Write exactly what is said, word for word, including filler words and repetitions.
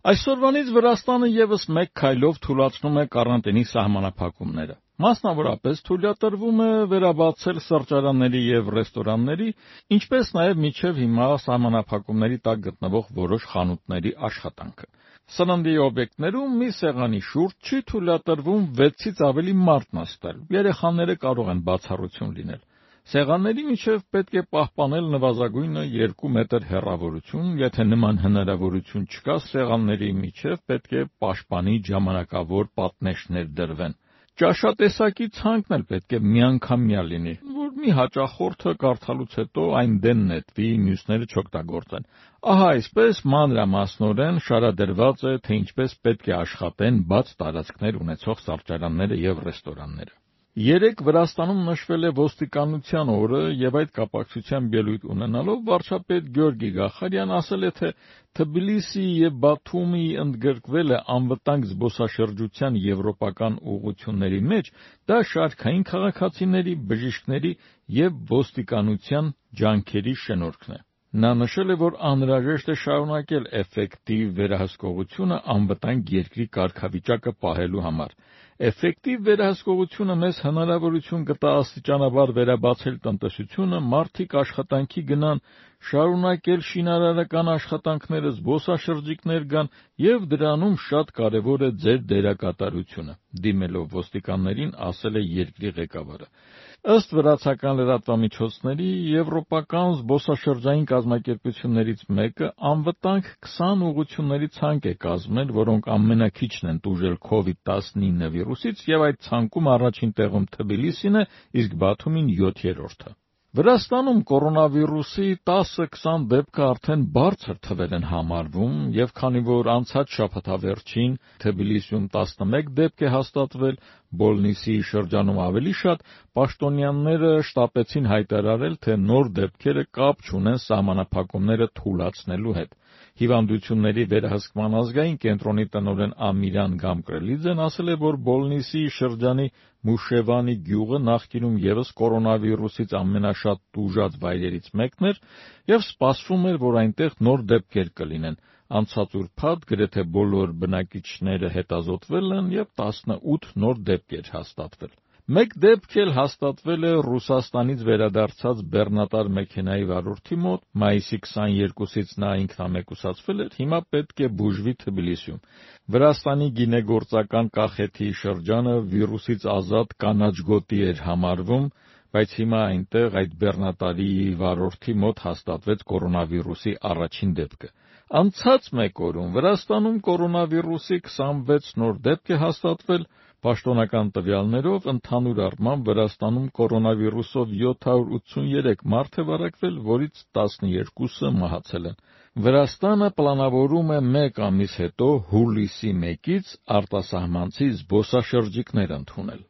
Այսօրվանից Վրաստանը ևս մեկ քայլով թուլացնում է կարանտինի սահմանափակումները։ Մասնավորապես թույլատրվում է վերաբացել սրճարանների և ռեստորանների, ինչպես նաև մինչև հիմա սահմանափակումների տակ գտնվող որոշ խանութների աշխատանքը։ Սննդի օբյեկտներում մի սեղանի շուրջ չի թույլատրվում վեցից ավելի մարդ նստել, երեխաները կարող են բացառություն լինել։ Սեղանների միջև պետք է պահպանել նվազագույնը երկու մետր հեռավորություն, եթե նման հնարավորություն չկա, սեղանների միջև պետք է պաշտպանիչ ժամանակավոր պատնեշներ դրվեն։ Ճաշատեսակի ցանկն էլ պետք է միանգամյա լինի, որ մի հաճախորդը կարդալուց հետո այն դեն նետվի, մյուսները չօգտագործեն։ Ահա այսպես մանրամասնորեն շարադրված է, թե ինչպես պետք է աշխատեն բաց տարածքներ ունեցող սրճարանները և ռեստորանները։ Երեկ Վրաստանում նշվել է ոստիկանության օրը և այդ կապակցությամբ ելույթ ունենալով վարչապետ Գյորգի Գախարյան ասել է, թե Թբիլիսիի և Բաթումիի ընդգրկվելը անվտանգ զբոսաշրջության եվրոպական ուղղությունների մեջ դա շարքային քաղաքացիների, բժիշկների և ոստիկանության ջանքերի շնորհքն է։ Նա նշել է, որ անհրաժեշտ է շարունակել էֆեկտիվ վերահսկողությունը անվտանգ երկրի կարգավիճակը պահելու համար։ Էֆեկտիվ վերահսկողությունը մեզ հնարավորություն կտա աստիճանաբար վերաբացել տնտեսությունը, մարդիկ աշխատանքի գնան, շարունակել շինարարական աշխատանքները, զբոսաշրջիկներ գան և դրանում շատ կարևոր է ձեր դերակատարությունը, դիմելով ոստիկաններին ասել է երկրի ղեկավարը։ Ըստ վրացական լրատվամիջոցների, եվրոպական զբոսաշրջային կազմակերպություններից մեկը անվտանգ քսան ուղղությունների ցանկ է կազմել, որոնք ամենաքիչն են տուժել քովիդ տասնինը վիրուսից, և այդ ցանկում առաջին տեղում Թբիլիսին է, իսկ Բաթումին յոթերորդը։ Վրաստանում կորոնավիրուսի տասը-քսան դեպքը արդեն բարձր թվեր են համարվում, և քանի որ անցած շաբաթավերջին Թբիլիսիում տասնմեկ դեպք է հաստատվել, Բոլնիսի շրջանում ավելի շատ, պաշտոնյաները շտապեցին հայտարարել, թե նոր դեպքերը կապ չունեն սահմանափակումները թուլացնելու հետ։ Հիվանդությունների վերահսկման ազգային կենտրոնի տնօրեն Ամիրան Գամկրելիձեն ասել է, որ Բոլնիսի շրջանի Մուշևանի գյուղը նախկինում ևս կորոնավիրուսից ամենաշատ տուժած վայրերից մեկն էր, և սպասվում էր, որ այնտեղ նոր դեպքեր կլինեն։ Անցած ուրբաթ գրեթե բոլոր բնակիչները հետազոտվել են և տասնութ նոր դեպք էր հաստատվել։ Մեկ դեպք էլ հաստատվել է Ռուսաստանից վերադարձած բեռնատար մեքենայի վարորդի մոտ, մայիսի քսաներկուսից նա ինքնամեկուսացվել էր, հիմա պետք է բուժվի Թբիլիսիում։ Վրաստանի գինեգործական կախեթի շրջանը վիրուսից ազատ կանաչ գոտի էր համարվում, բայց հիմա այնտեղ այդ բեռնատարի վարորդի մոտ հաստատվեց կորոնավիրուսի առաջին դեպքը։ Անցած մեկ օրում Վրաստանում կորոնավիրուսի քսանվեց նոր դեպք է հաստատվել, պաշտոնական տվյալներով ընդհանուր առմամբ Վրաստանում կորոնավիրուսով յոթ հարյուր ութսուներեք մարդ է վարակվել, որից տասներկուսը մահացել են։ Վրաստանը պլանավորում է մեկ ամիս հետո հուլիսի մեկից արտասահմանցի զբոսաշրջիկներ ընդունել։